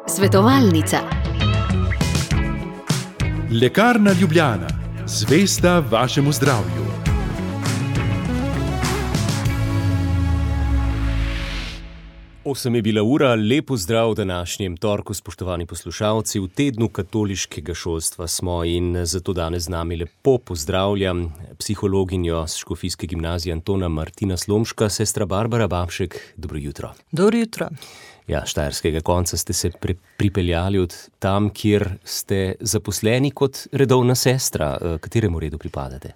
Svetovalnica. Lekarna Ljubljana, zvesta vašemu zdravju. Osem je bila ura, lep pozdrav v današnjem torku, spoštovani poslušalci. V tednu katoliškega šolstva smo in zato danes z nami lepo pozdravljam psihologinjo s Škofijske gimnazije Antona Martina Slomška, sestra Barbara Babšek. Dobro jutro. Dobro jutro. Ja, štajerskega konca ste se pripeljali od tam, kjer ste zaposleni kot redovna sestra. Kateremu redu pripadate?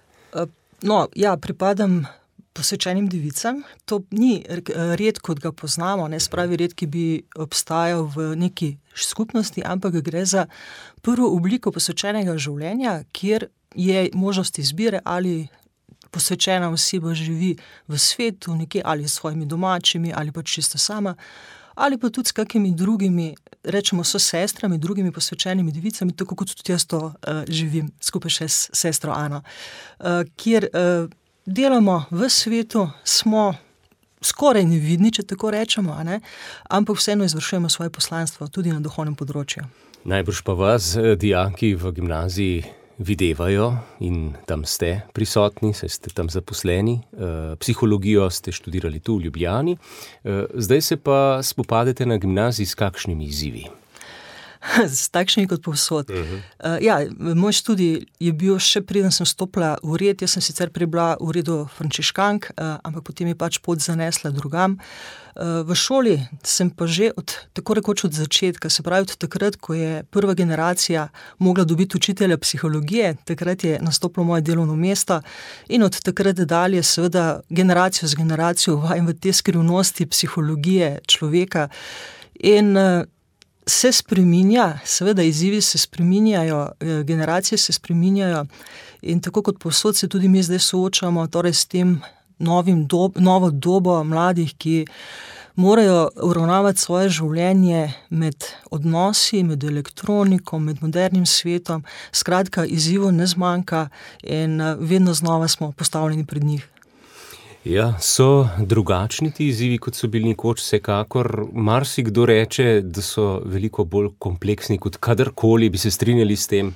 Pripadam posvečenim devicam. To ni red, kot ga poznamo, ne spravi red, ki bi obstajal v neki skupnosti, ampak gre za prvo obliko posvečenega življenja, kjer je možnost izbire, ali posvečena oseba živi v svetu, nekje ali s svojimi domačimi, ali pa čisto sama, ali pa tudi s kakimi drugimi, rečemo so sestrami, drugimi posvečenimi devicami, tako kot tudi jaz to živim, skupaj še s sestro Ano, kjer delamo v svetu, smo skoraj nevidni, če tako rečemo, ampak vseeno izvršujemo svoje poslanstvo tudi na duhovnem področju. Najbrž pa vas dijaki v gimnaziji videvajo in tam ste prisotni, saj ste tam zaposleni. Psihologijo ste študirali tu v Ljubljani. Zdaj se pa spopadete na gimnaziji s kakšnimi izzivi? S takšnimi kot povsod. Moj študij je bil še preden sem stopila v red. Jaz sem sicer prebila v redu frančiškank, ampak potem je pač pot zanesla drugam. V šoli sem pa že tako rekoč od začetka, se pravi od takrat, ko je prva generacija mogla dobiti učitelja psihologije, takrat je nastopilo moje delovno mesto in od takrat dalje seveda generacijo z generacijo uvajam v te skrivnosti psihologije človeka in se spreminja, seveda izzivi se spreminjajo, generacije se spreminjajo in tako kot povsod se tudi mi zdaj soočamo, torej s tem novo dobo mladih, ki morajo uravnavati svoje življenje med odnosi, med elektroniko, med modernim svetom. Skratka, izzivov ne zmanjka in vedno znova smo postavljeni pred njih. Ja, so drugačni ti izzivi, kot so bili nekoč, vsekakor. Marsikdo reče, da so veliko bolj kompleksni kot kadarkoli, bi se strinjali s tem.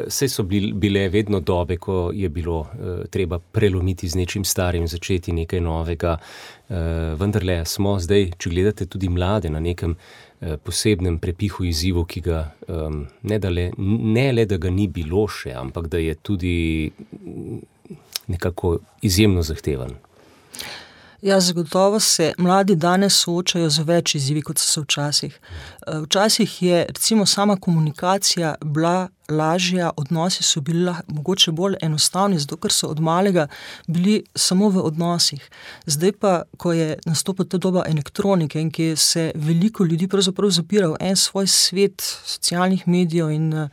Saj so bile vedno dobe, ko je bilo treba prelomiti z nečim starim, začeti nekaj novega. Vendarle smo zdaj, če gledate tudi mlade, na nekem posebnem prepihu izzivov, ki ga ne le, da ga ni bilo še, ampak da je tudi nekako izjemno zahteven. Ja, zagotovo se mladi danes soočajo z več izzivi, kot so se včasih. Včasih je recimo sama komunikacija bila lažja, odnosi so bili mogoče bolj enostavni, zato ker so od malega bili samo v odnosih. Zdaj pa, ko je nastopila ta doba elektronike in ki se veliko ljudi pravzaprav zapira v en svoj svet socialnih medijev in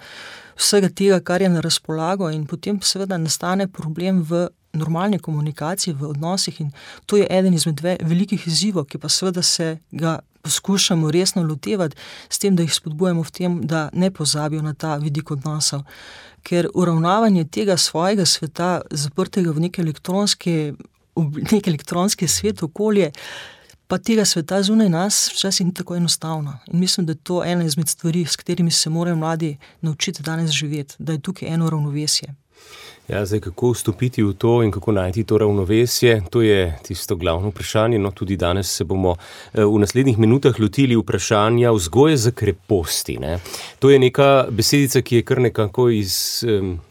vsega tega, kar je na razpolago, in potem seveda nastane problem v normalne komunikacije, v odnosih in to je eden izmed velikih izzivov, ki pa seveda se ga poskušamo resno lotevati s tem, da jih spodbujamo v tem, da ne pozabijo na ta vidik odnosov. Ker uravnavanje tega svojega sveta, zaprtega v nek elektronski svet, okolje, pa tega sveta zunaj nas včasih ni tako enostavno. In mislim, da je to ena izmed stvari, s katerimi se morajo mladi naučiti danes živeti, da je tukaj eno ravnovesje. Ja, zdaj kako vstopiti v to in kako najti to ravnovesje, to je tisto glavno vprašanje. No, tudi danes se bomo v naslednjih minutah lotili vprašanja vzgoje za kreposti. To je neka besedica, ki je kar nekako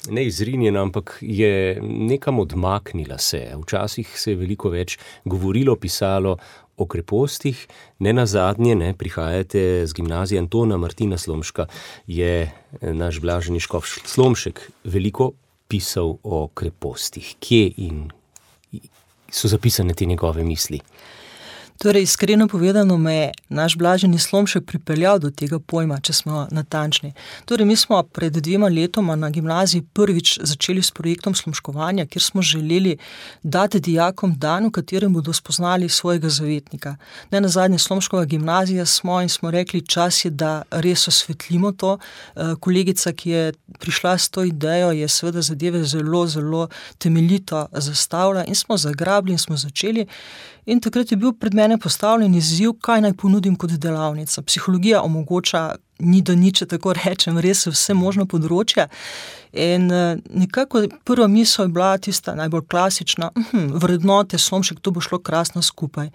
ne izrinjena, ampak je nekam odmaknila se. Včasih se je veliko več govorilo, pisalo o krepostih. Nenazadnje, prihajate z gimnazije Antona Martina Slomška, je naš blaženi škof Slomšek veliko pisal o krepostih. Kje in so zapisane te njegove misli? Torej, iskreno povedano me je naš blaženi Slomšek pripeljal do tega pojma, če smo natančni. Torej, mi smo pred 2 letoma na gimnaziji prvič začeli s projektom slomškovanja, kjer smo želeli dati dijakom dan, v katerem bodo spoznali svojega zavetnika. Nenazadnje Slomškova gimnazija smo in smo rekli, čas je, da res osvetlimo to. Kolegica, ki je prišla s to idejo, je seveda zadeve zelo, zelo temeljito zastavila in smo zagrabili in smo začeli. In takrat je bil pred mene postavljen izziv, kaj naj ponudim kot delavnica. Psihologija omogoča ni do niče, tako rečem, res vse možno področje. In nekako prva misel je bila tista najbolj klasična, vrednote, Slomšek, to bo šlo krasno skupaj.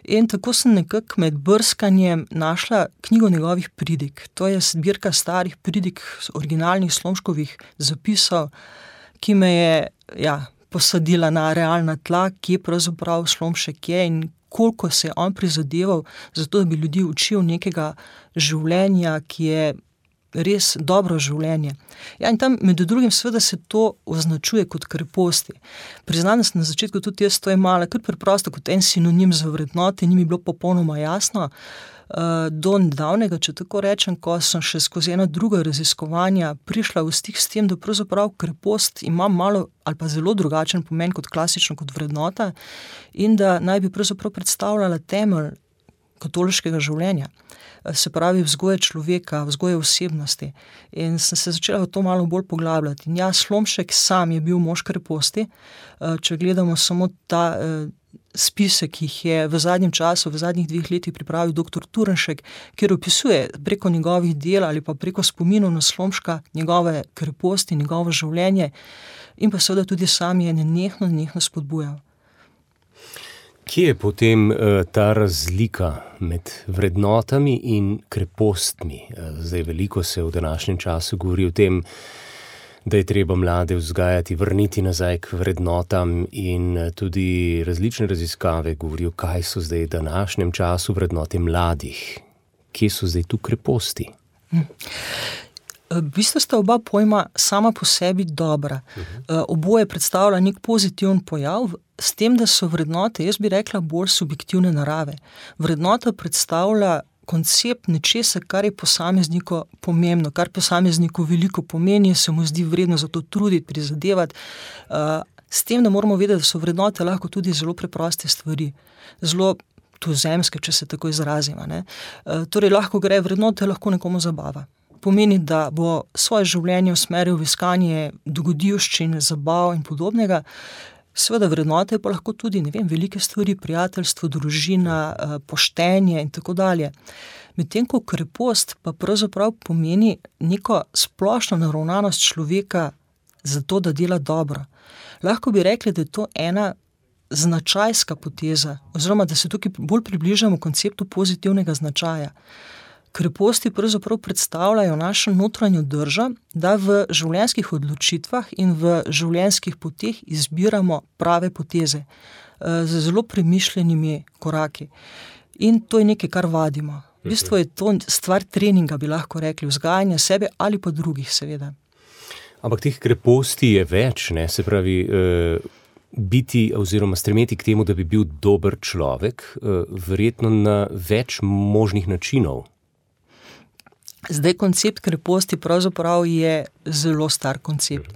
In tako sem nekako med brskanjem našla knjigo njegovih pridig. To je zbirka starih pridig, originalnih Slomškovih zapisov, ki me je posadila na realna tla, kje pravzaprav Slomšek je in koliko se je on prizadeval za to, da bi ljudi učil nekega življenja, ki je res dobro življenje. Ja, in tam med drugim seveda se to označuje kot kreposti. Priznam, da sem na začetku tudi jaz to imala kar preprosto kot en sinonim za vrednote, ni mi bilo popolnoma jasno. Do nedavnega, če tako rečem, ko sem še skozi ena druga raziskovanja prišla v stik s tem, da pravzaprav krepost ima malo ali pa zelo drugačen pomen kot klasično kot vrednota in da naj bi pravzaprav predstavljala temelj katoliškega življenja. Se pravi vzgoje človeka, vzgoje osebnosti. In sem se začela v to malo bolj poglabljati. In Slomšek sam je bil mož kreposti. Če gledamo samo ta spisek, ki jih je v zadnjem času, v zadnjih 2 letih pripravil dr. Turnšek, kjer opisuje preko njegovih del ali pa preko spominov na Slomška njegove kreposti, njegovo življenje in pa seveda tudi sam je nenehno spodbujal. Kje je potem ta razlika med vrednotami in krepostmi? Zdaj veliko se v današnjem času govori o tem, da je treba mlade vzgajati, vrniti nazaj k vrednotam in tudi različne raziskave govorijo, kaj so zdaj v današnjem času vrednote mladih. Kje so zdaj tu kreposti? V bistvu sta oba pojma sama po sebi dobra. Oboje predstavlja nek pozitiven pojav, s tem, da so vrednote, jaz bi rekla, bolj subjektivne narave. Vrednota predstavlja koncept nečesa, kar je posamezniku pomembno, kar posamezniku veliko pomeni, se mu zdi vredno za to truditi, prizadevati. S tem, da moramo vedeti, da so vrednote lahko tudi zelo preproste stvari, zelo tuzemske, če se tako izrazimo. Torej, lahko gre, vrednote lahko nekomu zabava. Pomeni, da bo svoje življenje usmeril v iskanje dogodivščin, zabav in podobnega. Seveda vrednote pa lahko tudi, velike stvari, prijateljstvo, družina, poštenje in tako dalje. Medtem ko krepost pa pravzaprav pomeni neko splošno naravnanost človeka za to, da dela dobro. Lahko bi rekli, da je to ena značajska poteza, oziroma da se tukaj bolj približamo konceptu pozitivnega značaja. Kreposti pravzaprav predstavljajo našo notranjo držo, da v življenjskih odločitvah in v življenjskih poteh izbiramo prave poteze z zelo premišljenimi koraki. In to je nekaj, kar vadimo. V bistvu je to stvar treninga, bi lahko rekli, vzgajanja sebe ali pa drugih, seveda. Ampak teh kreposti je več, se pravi, biti oziroma stremeti k temu, da bi bil dober človek, verjetno na več možnih načinov. Zdaj, koncept kreposti pravzaprav je zelo star koncept.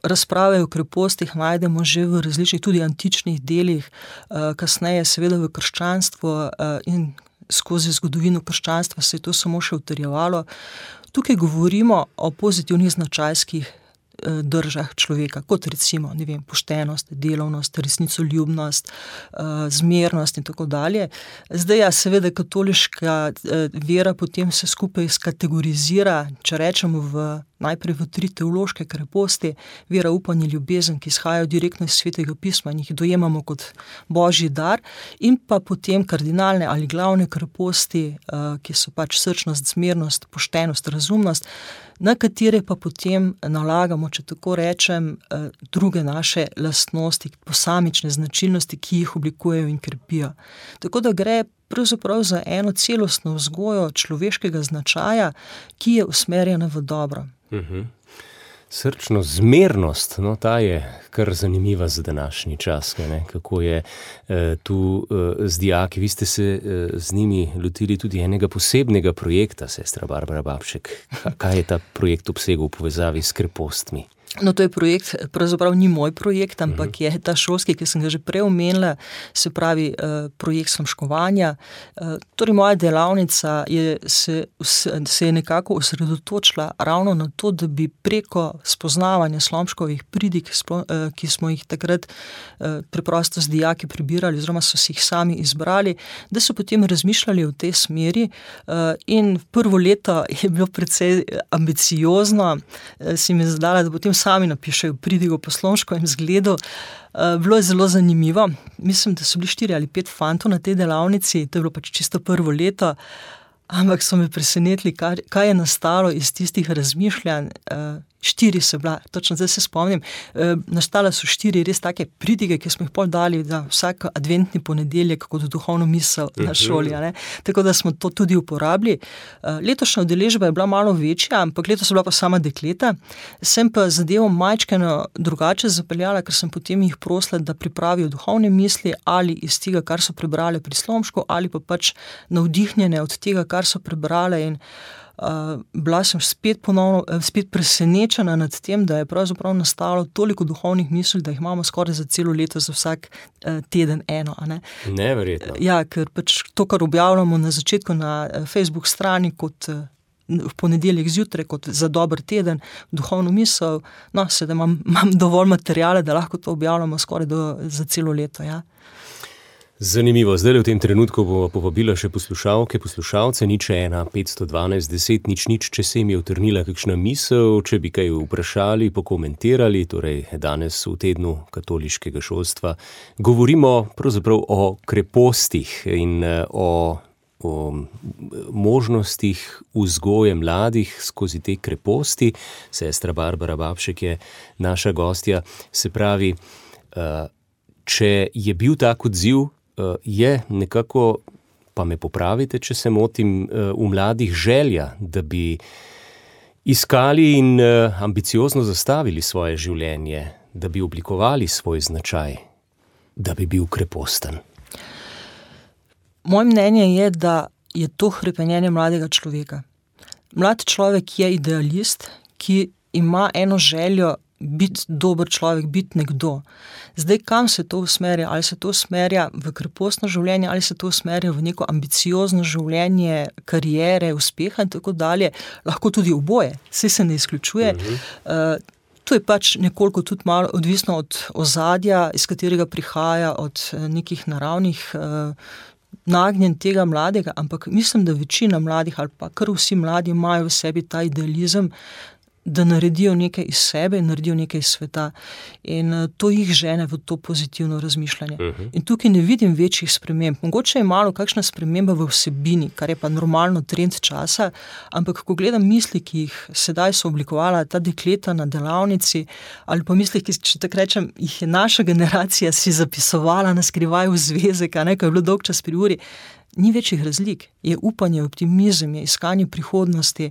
Razprave o krepostih najdemo že v različnih, tudi antičnih delih, kasneje seveda v krščanstvu in skozi zgodovino krščanstva se je to samo še utrjevalo. Tukaj govorimo o pozitivnih značajskih držah človeka, kot recimo, poštenost, delovnost, resnicoljubnost, zmernost in tako dalje. Zdaj, seveda katoliška vera potem se skupaj skategorizira, če rečemo najprej v 3 teološke kreposti, vera, upanje, ljubezen, ki izhajajo direktno iz Svetega pisma in jih dojemamo kot božji dar, in pa potem kardinalne ali glavne kreposti, ki so srčnost, zmernost, poštenost, razumnost, na katere pa potem nalagamo, če tako rečem, druge naše lastnosti, posamične značilnosti, ki jih oblikujejo in krepijo. Tako da gre pravzaprav za eno celostno vzgojo človeškega značaja, ki je usmerjena v dobro. Srčno zmernost, ta je kar zanimiva za današnji čas, kako je tu z dijaki. Vi ste se z njimi lotili tudi enega posebnega projekta, sestra Barbara Babšek. Kaj je ta projekt obsegal v povezavi s krepostmi? No, to je projekt, pravzaprav ni moj projekt, ampak je ta šolski, ki sem ga že prej omenila, se pravi projekt slomškovanja. Torej, moja delavnica se je nekako osredotočila ravno na to, da bi preko spoznavanja slomškovih pridig, ki smo jih takrat preprosto z dijaki prebirali, oziroma so si jih sami izbrali, da so potem razmišljali v tej smeri in prvo leto je bilo precej ambiciozno, si mi zadala, da potem sami napišejo pridigo po slomškovem zgledu. Bilo je zelo zanimivo. Mislim, da so bili 4 ali 5 fantov na tej delavnici, to je bilo pač čisto prvo leto, ampak so me presenetili, kaj je nastalo iz tistih razmišljanj. 4 so bila, točno zdaj se spomnim, nastala so 4 res take pridige, ki smo jih pol dali za vsak adventni ponedeljek kot duhovno misel na šoli, ne? Tako da smo to tudi uporabili. Letošnja udeležba je bila malo večja, ampak letos so bila pa sama dekleta. Sem pa zadevo majčkeno drugače zapeljala, ker sem potem jih prosila, da pripravijo duhovne misli ali iz tega, kar so prebrale pri slomšku, ali pa pač navdihnjene od tega, kar so prebrale in bila sem spet presenečena nad tem, da je pravzaprav nastalo toliko duhovnih misli, da jih imamo skoraj za celo leto, za vsak teden eno. Ne? Neverjetno. Ja, ker pač to, kar objavljamo na začetku na Facebook strani kot v ponedeljek zjutraj, kot za dober teden, duhovno misel, no, sedaj imam dovolj materijala, da lahko to objavljamo skoraj za celo leto, ja. Zanimivo. Zdaj v tem trenutku bomo povabila še poslušalke, poslušalce, 01 512 10 00, če se jim je utrnila kakšna misel, če bi kaj vprašali, pokomentirali, torej danes v tednu katoliškega šolstva govorimo pravzaprav o krepostih in o možnostih vzgoje mladih skozi te kreposti. Sestra Barbara Babšek je naša gostja. Se pravi, če je bil tak odziv, je nekako, pa me popravite, če se motim, v mladih želja, da bi iskali in ambiciozno zastavili svoje življenje, da bi oblikovali svoj značaj, da bi bil kreposten. Moje mnenje je, da je to hrepenenje mladega človeka. Mlad človek je idealist, ki ima eno željo biti dober človek, biti nekdo. Zdaj, kam se to usmerja? Ali se to usmerja v krepostno življenje, ali se to usmerja v neko ambiciozno življenje, kariere, uspeha in tako dalje. Lahko tudi oboje, vse se ne izključuje. To je pač nekoliko tudi malo odvisno od ozadja, iz katerega prihaja, od nekih naravnih nagnjen tega mladega, ampak mislim, da večina mladih ali pa kar vsi mladi imajo v sebi ta idealizem, da naredijo nekaj iz sebe, naredijo nekaj iz sveta. In to jih žene v to pozitivno razmišljanje. In tukaj ne vidim večjih sprememb. Mogoče je malo kakšna sprememba v vsebini, kar je pa normalno trend časa, ampak ko gledam misli, ki jih sedaj so oblikovala ta dekleta na delavnici, ali pa misli, ki, če tako rečem, jih je naša generacija si zapisovala na skrivaj v zvezek, ko je bilo dolg čas pri uri, ni večjih razlik. Je upanje, optimizem, je iskanje prihodnosti,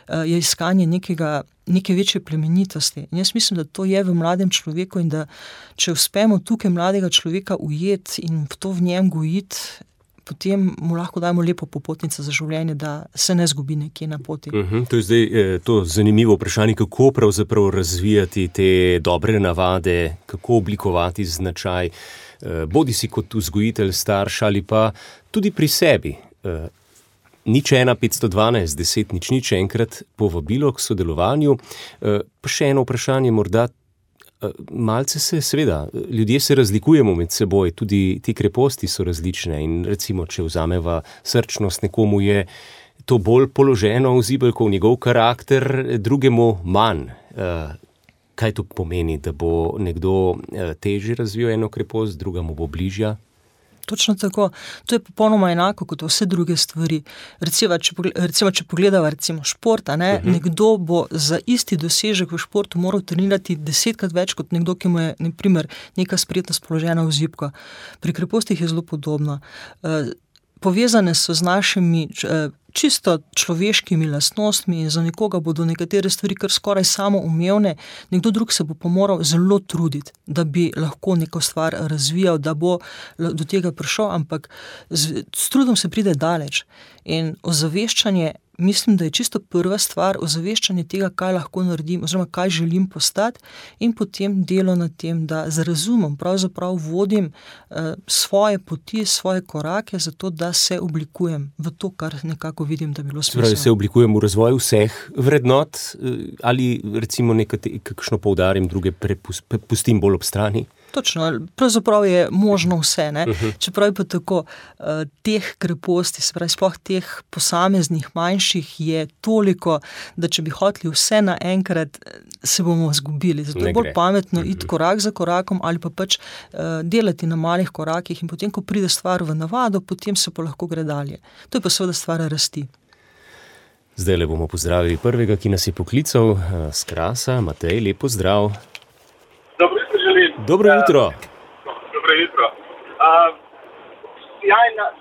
je iskanje neke večje plemenitosti. In jaz mislim, da to je v mladem človeku in da če uspemo tukaj mladega človeka ujeti in to v njem gojiti, potem mu lahko dajmo lepo popotnico za življenje, da se ne zgubi nekje na poti. To je zdaj to zanimivo vprašanje, kako pravzaprav razvijati te dobre navade, kako oblikovati značaj, bodi si kot vzgojitelj, starš ali pa tudi pri sebi. 01 512 10 00, enkrat povabilo k sodelovanju. Pa še eno vprašanje morda. Malce se, seveda, ljudje se razlikujemo med seboj, tudi ti kreposti so različne in recimo, če vzameva srčnost, nekomu je to bolj položeno v zibelko, v njegov karakter, drugemu manj. Kaj to pomeni, da bo nekdo težje razvil eno krepost, drugemu bo bližja? Točno tako. To je popolnoma enako kot vse druge stvari. Recimo, če pogledava šport, nekdo bo za isti dosežek v športu moral trenirati 10-krat več kot nekdo, ki mu je, na primer, neka spretnost položena v zibko. Pri krepostih je zelo podobno. Povezane so z našimi čisto človeškimi lastnostmi in za nekoga bodo nekatere stvari kar skoraj samoumevne, nekdo drug se bo pa moral zelo truditi, da bi lahko neko stvar razvijal, da bo do tega prišel, ampak s trudom se pride daleč. In ozaveščanje mislim, da je čisto prva stvar ozaveščanje tega, kaj lahko naredim oziroma kaj želim postati in potem delo na tem, da z razumom pravzaprav vodim svoje poti, svoje korake za to, da se oblikujem v to, kar nekako vidim, da bi bilo smiselno. Pravi, se oblikujem v razvoju vseh vrednot ali recimo kakšno poudarim, druge pustim bolj ob strani? Točno, pravzaprav je možno vse, ne? Čeprav pa tako, teh kreposti, se pravi, sploh teh posameznih manjših je toliko, da če bi hoteli vse naenkrat, se bomo izgubili. Zato je bolj pametno iti korak za korakom ali pa pač delati na malih korakih in potem, ko pride stvar v navado, potem se pa lahko gre dalje. To je pa seveda stvar rasti. Zdaj le bomo pozdravili prvega, ki nas je poklical s Krasa. Matej, lep pozdrav. Dobro jutro. Dobro jutro.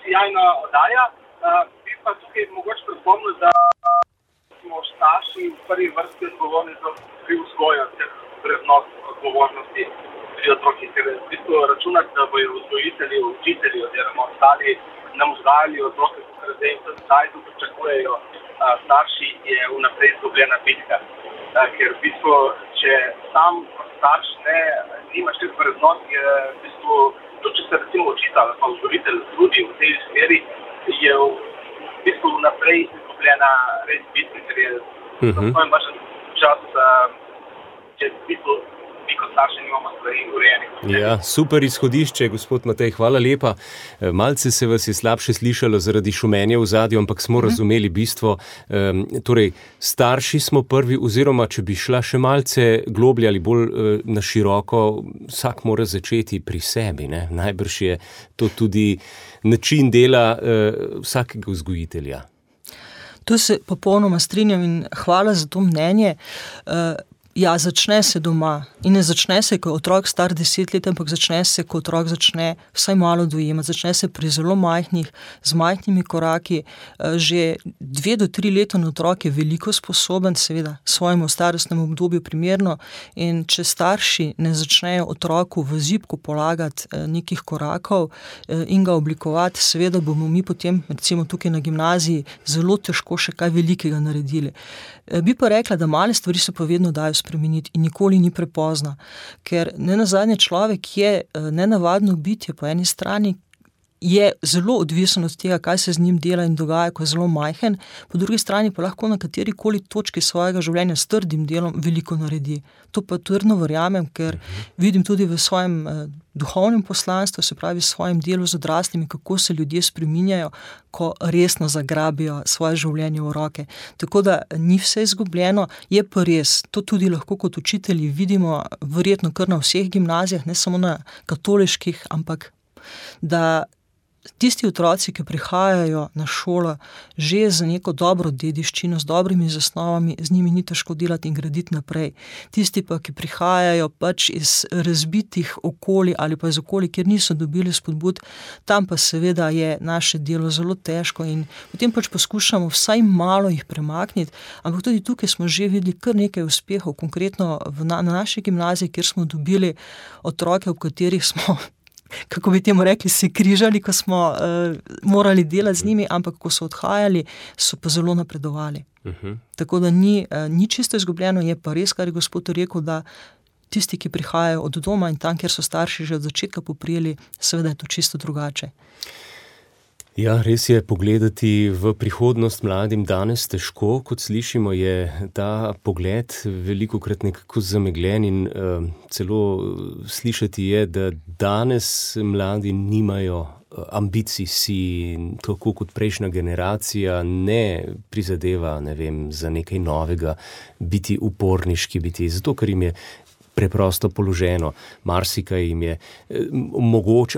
Sjajna oddaja. Bi pa tukaj mogoče pripomnil, da smo starši v prvi vrsti odgovorni pri vzgoju teh vrednot odgovornosti pri otrokih. Ker v bistvu računati, da bojo vzgojitelji, učitelji oziroma ostali nam vzgajali otroke, ker zdaj in zdaj to pričakujejo starši, je vnaprej izgubljena bitka. Ker v bistvu, če sam starš nimaš teh vrednot, je v bistvu, tudi če se recimo učitelj ali pa vzgojitelj trudi v tej smeri, je v bistvu vnaprej izgubljena res bitka, ker je svoj vašen čas, če v bistvu mi kot starši nimamo stvari urejenih. Ja, super izhodišče, gospod Matej, hvala lepa. Malce se vas je slabše slišalo zaradi šumenja v zadju, ampak smo razumeli bistvo. Torej, starši smo prvi, oziroma če bi šla še malce globlje ali bolj na široko, vsak mora začeti pri sebi, ne? Najbrž je to tudi način dela vsakega vzgojitelja. To se popolnoma strinjam in hvala za to mnenje. Ja, začne se doma in ne začne se, ko je otrok star 10 let, ampak začne se, ko otrok začne vsaj malo dojemati, začne se pri zelo majhnih, z majhnimi koraki. Že 2 do 3 leta otrok je veliko sposoben, seveda svojemu starostnemu obdobju primerno, in če starši ne začnejo otroku v zibku polagati nekih korakov in ga oblikovati, seveda bomo mi potem, recimo tukaj na gimnaziji, zelo težko še kaj velikega naredili. Bi pa rekla, da male stvari se pa vedno dajo spremeniti in nikoli ni prepozna, ker nenazadnje človek je nenavadno bitje, po eni strani je zelo odvisen od tega, kaj se z njim dela in dogaja, ko je zelo majhen, po drugi strani pa lahko na katerikoli točki svojega življenja s trdim delom veliko naredi. To pa trdno verjamem, ker vidim tudi v svojem duhovnem poslanstvu, se pravi v svojem delu z odraslimi, kako se ljudje spreminjajo, ko resno zagrabijo svoje življenje v roke. Tako da ni vse izgubljeno, je pa res, to tudi lahko kot učitelji vidimo, verjetno kar na vseh gimnazijah, ne samo na katoliških, ampak da tisti otroci, ki prihajajo na šolo že z neko dobro dediščino, z dobrimi zasnovami, z njimi ni težko delati in graditi naprej. Tisti pa, ki prihajajo pač iz razbitih okolij ali pa iz okolij, kjer niso dobili spodbud, tam pa seveda je naše delo zelo težko in potem pač poskušamo vsaj malo jih premakniti, ampak tudi tukaj smo že videli kar nekaj uspehov, konkretno na naši gimnaziji, kjer smo dobili otroke, ob katerih smo, kako bi temu rekli, se križali, ko smo morali delati z njimi, ampak ko so odhajali, so pa zelo napredovali. Tako da ni čisto izgubljeno, je pa res, kar je gospod rekel, da tisti, ki prihajajo od doma in tam, kjer so starši že od začetka poprijeli, seveda je to čisto drugače. Ja, res je, pogledati v prihodnost mladim danes težko, kot slišimo, je ta pogled velikokrat nekako zamegljen in celo slišati je, da danes mladi nimajo ambicij, si tako kot prejšnja generacija ne prizadeva, ne vem, za nekaj novega, biti uporniški, zato ker jim je preprosto položeno, marsikaj jim je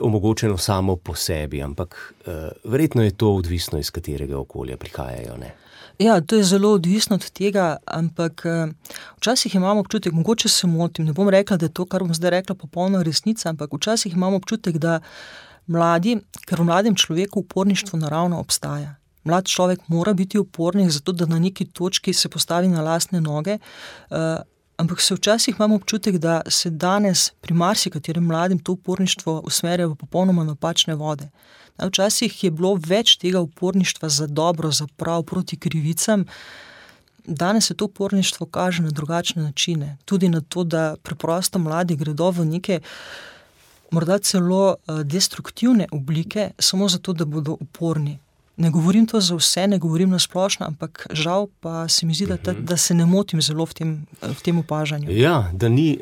omogočeno samo po sebi, ampak verjetno je to odvisno, iz katerega okolja prihajajo, ne? Ja, to je zelo odvisno od tega, ampak včasih imamo občutek, mogoče se motim, ne bom rekla, da je to, kar bom zdaj rekla, popolna resnica, ampak včasih imamo občutek, da ker v mladem človeku uporništvo naravno obstaja. Mlad človek mora biti upornik, zato da na neki točki se postavi na lastne noge, ampak se včasih imamo občutek, da se danes pri marsikaterem mladim to uporništvo usmerja v popolnoma napačne vode. Včasih je bilo več tega uporništva za dobro, za prav, proti krivicam. Danes se to uporništvo kaže na drugačne načine. Tudi na to, da preprosto mladi gredo v neke morda celo destruktivne oblike, samo zato, da bodo uporni. Ne govorim to za vse, ne govorim na splošno, ampak žal pa se mi zdi, da se ne motim zelo v tem opažanju. Ja, da ni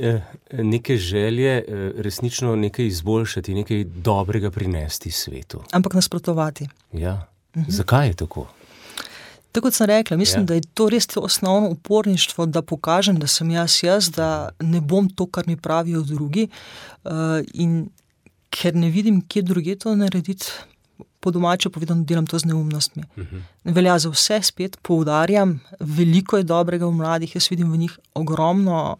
neke želje resnično nekaj izboljšati, nekaj dobrega prinesti svetu. Ampak nasprotovati. Ja, zakaj je tako? Tako kot sem rekla, mislim, da je to res to osnovno uporništvo, da pokažem, da sem jaz, da ne bom to, kar mi pravijo drugi, in ker ne vidim, kje druge to narediti, po domače povedano, delam to z neumnostmi. Ne velja za vse, spet poudarjam, veliko je dobrega v mladih, jaz vidim v njih ogromno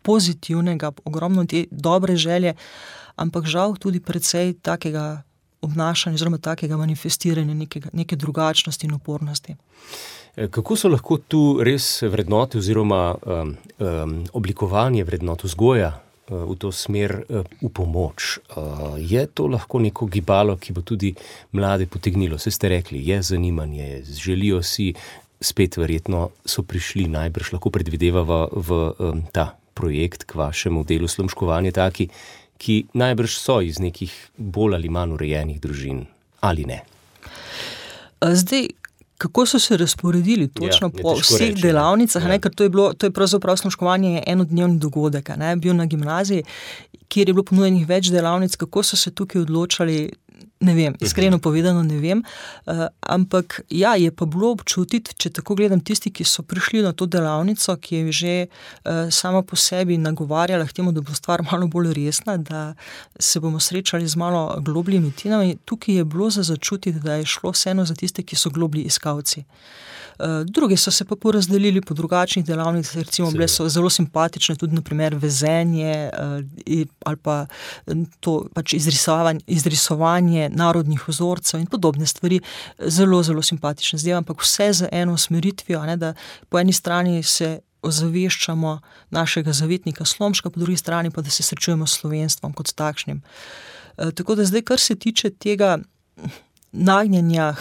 pozitivnega, ogromno te dobre želje, ampak žal tudi precej takega obnašanja, oziroma takega manifestiranja neke drugačnosti in upornosti. Kako so lahko tu res vrednote oziroma oblikovanje vrednot, vzgoja v to smer v pomoč? Je to lahko neko gibalo, ki bo tudi mlade potegnilo? Saj ste rekli, je zanimanje, želijo si, spet verjetno so prišli, najbrž lahko predvidevava v ta projekt k vašemu delu slomškovanje taki, ki najbrž so iz nekih bolj ali manj urejenih družin, ali ne? Zdaj, kako so se razporedili točno po vseh delavnicah, ker to je pravzaprav slomškovanje enodnevni dogodek, bil na gimnaziji, kjer je bilo ponujenih več delavnic, kako so se tukaj odločali, ne vem, iskreno povedano ne vem, ampak ja, je pa bilo občutiti, če tako gledam, tisti, ki so prišli na to delavnico, ki je že sama po sebi nagovarjala k temu, da bo stvar malo bolj resna, da se bomo srečali z malo globljimi temami, tukaj je bilo za začutiti, da je šlo vseeno za tiste, ki so globlji iskalci. Drugi so se pa porazdelili po drugačnih delavnicah, recimo bile so zelo simpatične, tudi na primer vezenje ali pa to pač izrisovanje narodnih vzorcev in podobne stvari, zelo, zelo simpatične zdaj, ampak vse z eno usmeritvijo, da po eni strani se ozaveščamo našega zavetnika Slomška, po drugi strani pa, da se srečujemo s slovenstvom kot takšnim. Tako da zdaj, kar se tiče tega nagnjenja,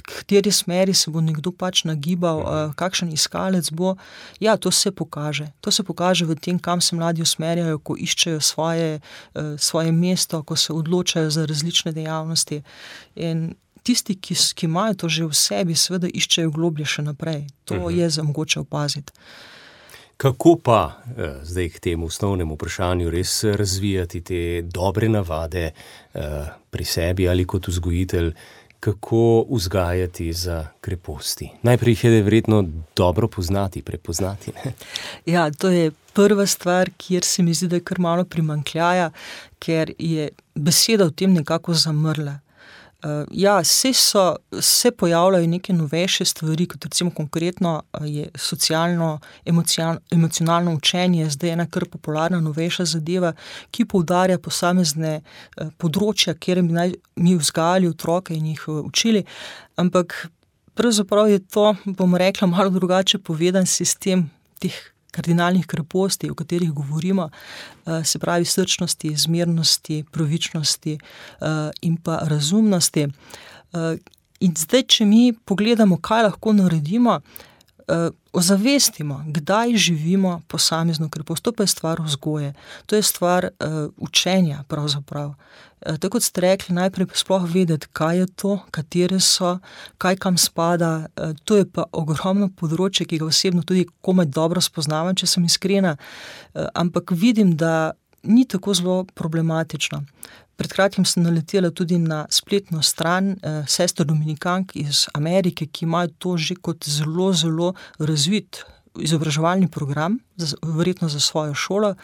kateri smeri se bo nekdo pač nagibal, kakšen iskalec bo, ja, to se pokaže. To se pokaže v tem, kam se mladi usmerjajo, ko iščejo svoje mesto, ko se odločajo za različne dejavnosti. In tisti, ki imajo to že v sebi, seveda iščejo globlje še naprej. To je za mogoče opaziti. Kako pa zdaj k temu osnovnemu vprašanju res razvijati te dobre navade pri sebi ali kot vzgojitelj, kako vzgajati za kreposti? Najprej jih je verjetno dobro poznati, prepoznati, ne? Ja, to je prva stvar, kjer se mi zdi, da je kar malo primanjkljaja, ker je beseda v tem nekako zamrla. Ja, se pojavljajo neke novejše stvari, kot recimo konkretno je socialno, emocionalno učenje, zdaj ena kar popularna novejša zadeva, ki poudarja posamezne področja, kjer bi naj mi vzgajali otroke in jih učili, ampak pravzaprav je to, bom rekla, malo drugače povedan sistem teh kardinalnih kreposti, o katerih govorimo, se pravi srčnosti, zmernosti, pravičnosti in pa razumnosti. In zdaj, če mi pogledamo, kaj lahko naredimo, ozavestimo, kdaj živimo posamezno krepost. To pa je stvar vzgoje, to je stvar učenja pravzaprav. Tako kot ste rekli, najprej sploh vedeti, kaj je to, katere so, kaj kam spada. To je pa ogromno področje, ki ga osebno tudi komaj dobro spoznavam, če sem iskrena, ampak vidim, da ni tako zelo problematično. Pred kratkim sem naletela tudi na spletno stran sester dominikank iz Amerike, ki imajo to že kot zelo, zelo razvit izobraževalni program, verjetno za svojo šolo.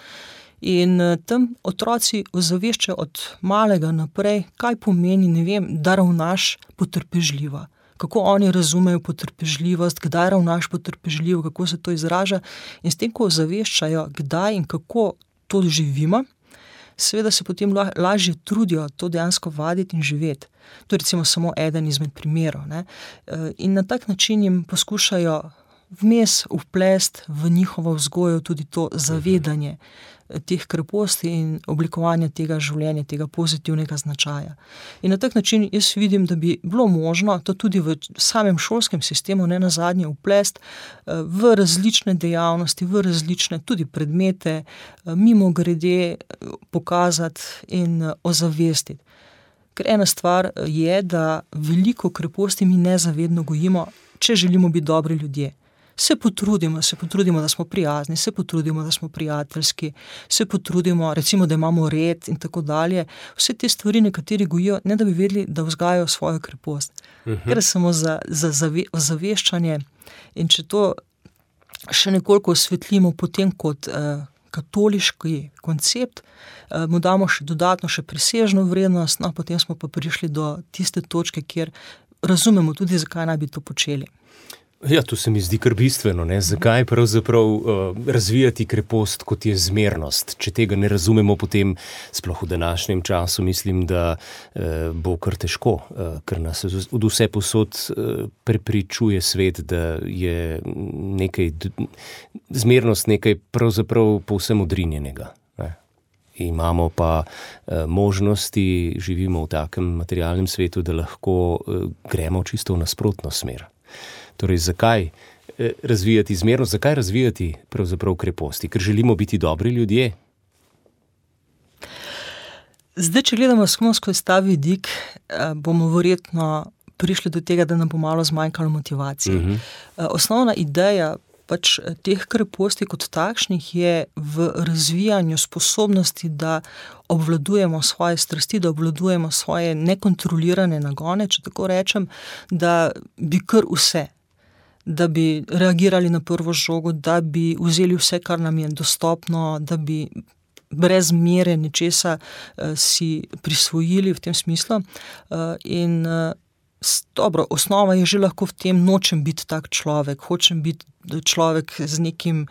In tam otroci ozaveščajo od malega naprej, kaj pomeni, ne vem, da ravnaš potrpežljivo. Kako oni razumejo potrpežljivost, kdaj ravnaš potrpežljivo, kako se to izraža. In s tem, ko ozaveščajo, kdaj in kako to živimo, seveda se potem lažje trudijo to dejansko vaditi in živeti. To je recimo samo eden izmed primerov, ne. In na tak način jim poskušajo vmes vplest v njihovo vzgojo tudi to zavedanje teh kreposti in oblikovanje tega življenja, tega pozitivnega značaja. In na tak način jaz vidim, da bi bilo možno to tudi v samem šolskem sistemu nenazadnje vplest v različne dejavnosti, v različne tudi predmete, mimogrede pokazati in ozavestiti. Ker ena stvar je, da veliko kreposti mi nezavedno gojimo, če želimo biti dobri ljudje. Se potrudimo, da smo prijazni, se potrudimo, da smo prijateljski, se potrudimo, recimo, da imamo red in tako dalje. Vse te stvari nekateri gojijo, ne da bi vedeli, da vzgajajo svojo krepost. Ker samo za ozaveščanje. In če to še nekoliko osvetlimo potem kot katoliški koncept, mu damo še dodatno še presežno vrednost, no, potem smo pa prišli do tiste točke, kjer razumemo tudi, zakaj naj bi to počeli. Ja, to se mi zdi kar bistveno, ne? Zakaj pravzaprav razvijati krepost, kot je zmernost? Če tega ne razumemo, potem sploh v današnjem času mislim, da bo kar težko, ker nas od vse posod prepričuje svet, da je zmernost nekaj pravzaprav povsem odrinjenega. Imamo pa možnosti, živimo v takem materialnem svetu, da lahko gremo čisto v nasprotno smer. Torej, zakaj razvijati zmernost, zakaj razvijati pravzaprav kreposti? Ker želimo biti dobri ljudje? Zdaj, če gledamo skozi ta vidik, bomo verjetno prišli do tega, da nam bo malo zmanjkalo motivacije. Osnovna ideja pač teh kreposti kot takšnih je v razvijanju sposobnosti, da obvladujemo svoje strasti, da obvladujemo svoje nekontrolirane nagone, če tako rečem, da bi kar vse, da bi reagirali na prvo žogo, da bi vzeli vse, kar nam je dostopno, da bi brez mere nečesa si prisvojili v tem smislu. In dobro, osnova je že lahko v tem, nočem biti tak človek, hočem biti človek z nekim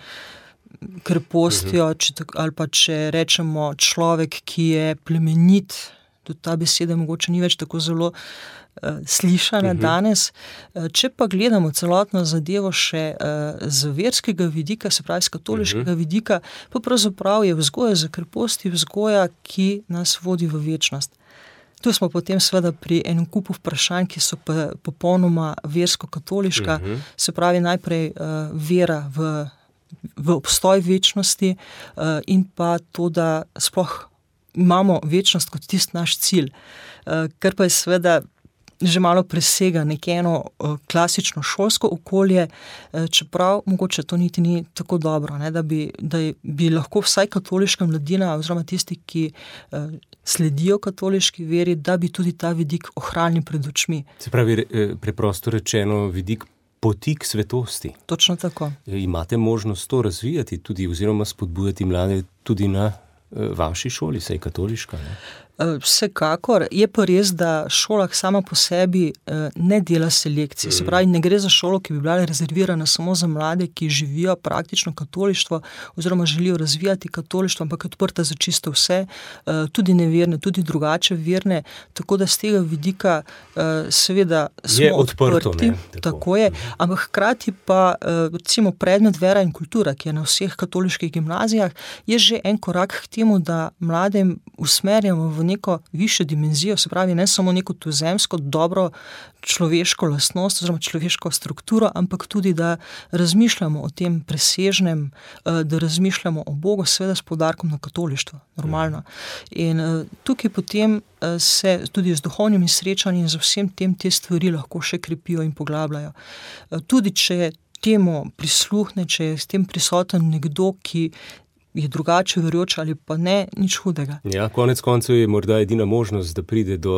krepostjo, ali pa če rečemo človek, ki je plemenit, tudi ta beseda mogoče ni več tako zelo slišana danes. Če pa gledamo celotno zadevo še z verskega vidika, se pravi z katoliškega vidika, pa pravzaprav je vzgoja za kreposti vzgoja, ki nas vodi v večnost. Tu smo potem seveda pri enem kupu vprašanj, ki so pa popolnoma versko-katoliška, se pravi najprej vera v obstoj večnosti in pa to, da sploh imamo večnost kot tisti naš cilj, kar pa je seveda že malo presega eno klasično šolsko okolje, čeprav mogoče to niti ni tako dobro, ne, da bi lahko vsaj katoliška mladina oziroma tisti, ki sledijo katoliški veri, da bi tudi ta vidik ohranili pred očmi. Se pravi, preprosto rečeno, vidik poti k svetosti. Točno tako. Imate možnost to razvijati tudi oziroma spodbujati mlade tudi na vaši šoli, saj katoliška, ne? Vsekakor. Je pa res, da šola sama po sebi ne dela selekcije. Se pravi, ne gre za šolo, ki bi bila rezervirana samo za mlade, ki živijo praktično katolištvo oziroma želijo razvijati katolištvo, ampak je odprta za čisto vse, tudi neverne, tudi drugače verne, tako da z tega vidika seveda smo odprti. Tako je, ampak hkrati pa recimo predmet vera in kultura, ki je na vseh katoliških gimnazijah, je že en korak k temu, da mladem usmerjamo v neko višjo dimenzijo, se pravi ne samo neko tuzemsko, dobro človeško lastnost oziroma človeško strukturo, ampak tudi, da razmišljamo o tem presežnem, da razmišljamo o Bogu, seveda s poudarkom na katolištvo, normalno. In tukaj potem se tudi z duhovnimi srečanji in z vsem tem te stvari lahko še krepijo in poglabljajo. Tudi če temu prisluhne, če je s tem prisoten nekdo, ki je drugače verujoč ali pa ne, nič hudega. Ja, konec koncev je morda edina možnost, da pride do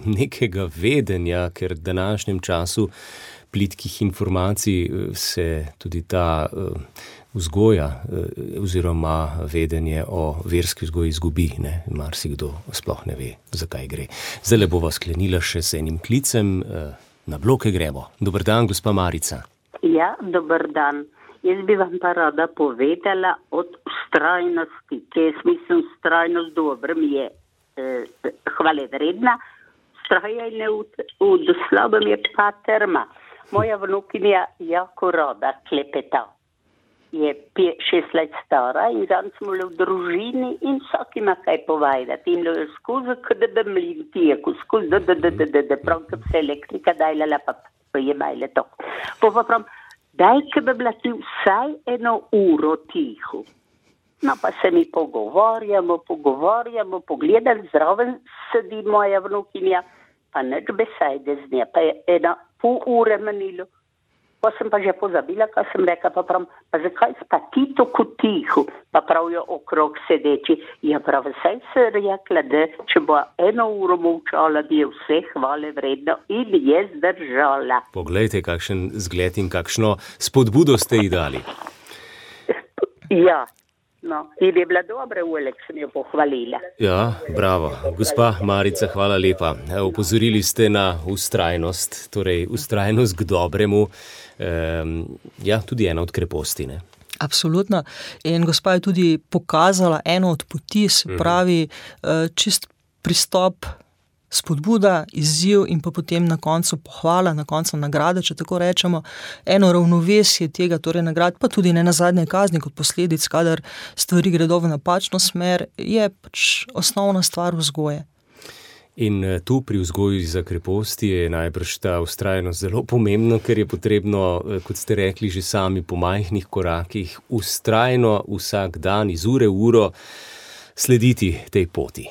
nekega vedenja, ker v današnjem času plitkih informacij se tudi ta vzgoja oziroma vedenje o verski vzgoji izgubi, ne? Marsikdo sploh ne ve, zakaj gre. Zdaj bova sklenila še z enim klicem. Na bloke gremo. Dober dan, gospa Marica. Ja, dober dan. Jaz bi vam pa rada povedala od vztrajnosti, ki jaz mislim, vztrajnost dobro mi je hvale vredna, vztrajanje v slabem je pa trma. Moja vnukinja jako rada klepeta. Je 6 let stara in zanj smo bili v družini in vsak ima kaj povedati. In je skozi KDB mlin tijeku, skozi prav, ko se elektrika dajala, pa je majle to. Pa pravim, daj, ko bi bila ti vsaj 1 uro tiho. No, pa se mi pogovarjamo, pogledali, zraven sedi moja vnukinja, pa nič besede z nje, pa je 1,5 ure menilo. Pa sem pa že pozabila, kaj sem rekla, pa pravim, pa zakaj pa ti tako tiho, pa pravijo okrog sedeči. Ja, prav, vsaj se rekla, da če bo 1 uro molčala, da je vse hvale vredno in je zdržala. Poglejte, kakšen zgled in kakšno spodbudo ste ji dali. Ja. No, in je bila dobra, Ulek, sem jo pohvalila. Ja, bravo. Gospa Marica, hvala lepa. Opozorili ste na vztrajnost, torej vztrajnost k dobremu, tudi ena od kreposti, ne? Absolutno. In gospa je tudi pokazala eno od poti, se pravi, čist pristop, spodbuda, izziv in pa potem na koncu pohvala, na koncu nagrada, če tako rečemo, eno ravnovesje tega, torej nagrad, pa tudi ne nazadnje kazni kot posledic, kadar stvari gredo v napačno smer, je pač osnovna stvar vzgoje. In tu pri vzgoju za kreposti je najbrž ta vztrajnost zelo pomembno, ker je potrebno, kot ste rekli, že sami po majhnih korakih, vztrajno vsak dan iz ure v uro slediti tej poti.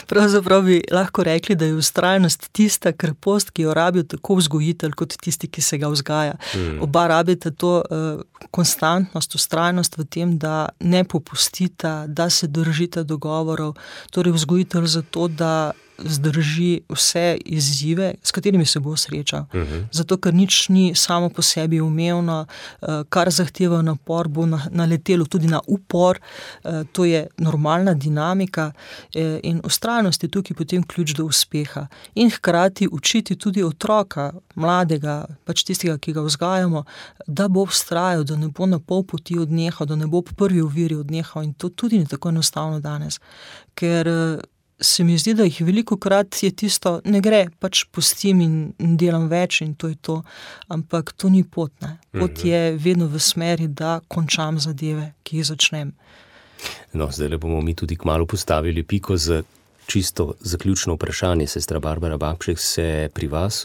Pravzaprav bi lahko rekli, da je vztrajnost tista krepost, ki jo rabijo tako vzgojitelj kot tisti, ki se ga vzgaja. Oba rabite to konstantnost, vztrajnost v tem, da ne popustita, da se držite dogovorov, torej vzgojitelj zato, da zdrži vse izzive, s katerimi se bo srečal. Zato, ker nič ni samo po sebi umevno, kar zahteva napor, bo naletelo tudi na upor, to je normalna dinamika in vztrajnost je tukaj potem ključ do uspeha. In hkrati učiti tudi otroka, mladega, pač tistega, ki ga vzgajamo, da bo vztrajal, da ne bo na pol poti odnehal, da ne bo po prvi oviri odnehal in to tudi ni tako enostavno danes, ker se mi zdi, da jih velikokrat je tisto, ne gre, pač pustim in delam več in to je to, ampak to ni pot, ne. Pot je vedno v smeri, da končam zadeve, ki jih začnem. No, zdaj bomo mi tudi kmalu postavili piko za čisto zaključno vprašanje. Sestra Barbara Babšek, se pri vas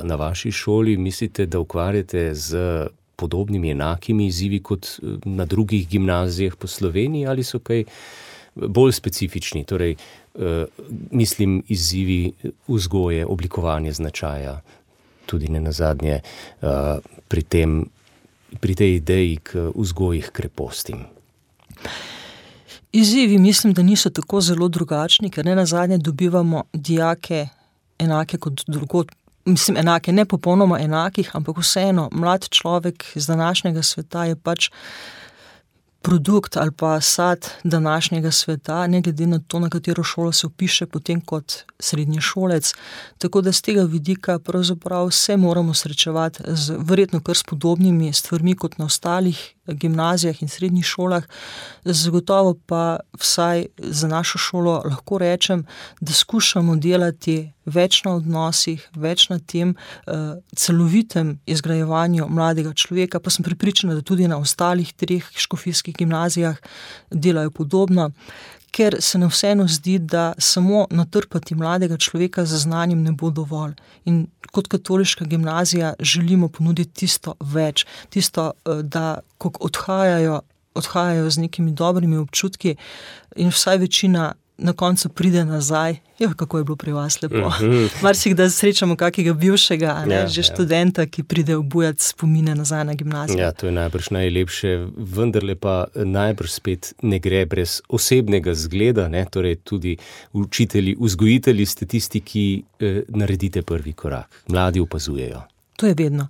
na vaši šoli mislite, da ukvarjate z podobnimi enakimi izzivi kot na drugih gimnazijah po Sloveniji ali so kaj bolj specifični, torej mislim izzivi vzgoje, oblikovanje značaja, tudi ne nazadnje pri tej ideji k vzgoji k krepostim. Izzivi mislim, da niso tako zelo drugačni, ker ne nazadnje dobivamo dijake enake kot drugod. Mislim, enake, ne popolnoma enakih, ampak vseeno, mlad človek z današnjega sveta je pač produkt ali pa sad današnjega sveta, ne glede na to, na katero šolo se vpiše potem kot srednješolec. Tako da z tega vidika pravzaprav se moramo srečevati z verjetno kar s podobnimi stvarmi kot na ostalih gimnazijah in srednjih šolah. Zagotovo pa vsaj za našo šolo lahko rečem, da skušamo delati več na odnosih, več na tem celovitem izgrajevanju mladega človeka, pa sem prepričana, da tudi na ostalih 3 škofijskih gimnazijah delajo podobno, ker se nam vseeno zdi, da samo natrpati mladega človeka z znanjem ne bo dovolj. In kot katoliška gimnazija želimo ponuditi tisto več, tisto, da ko odhajajo z nekimi dobrimi občutki in vsaj večina na koncu pride nazaj. Kako je bilo pri vas lepo. Marsikdaj srečamo kakega bivšega, že študenta, ki pride obujati spomine nazaj na gimnazijo. Ja, to je najbrž najlepše, vendarle pa najbrž spet ne gre brez osebnega zgleda, ne? Torej tudi učitelji, vzgojitelji ste tisti, ki naredite prvi korak. Mladi opazujejo. To je vedno.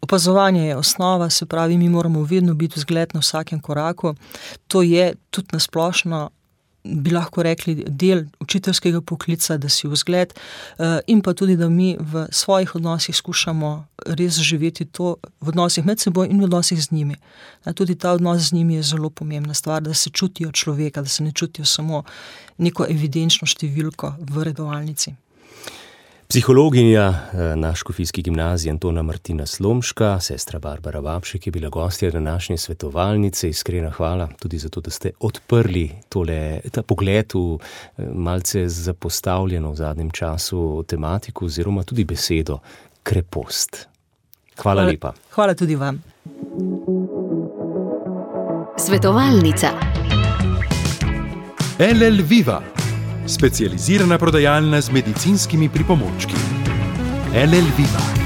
Opazovanje je osnova, se pravi, mi moramo vedno biti vzgled na vsakem koraku. To je tudi nasplošno, bi lahko rekli, del učiteljskega poklica, da si vzgled in pa tudi, da mi v svojih odnosih skušamo res živeti to v odnosih med seboj in v odnosih z njimi. Tudi ta odnos z njimi je zelo pomembna stvar, da se čutijo človeka, da se ne čutijo samo neko evidenčno številko v redovalnici. Psihologinja na Škofijski gimnaziji Antona Martina Slomška, sestra Barbara Vapšek je bila gostja današnje svetovalnice. Iskrena hvala tudi za to, da ste odprli ta pogled v malce zapostavljeno v zadnjem času tematiko oziroma tudi besedo krepost. Hvala lepa. Hvala tudi vam. Svetovalnica. LL Viva, specializirana prodajalna z medicinskimi pripomočki. LL Viva.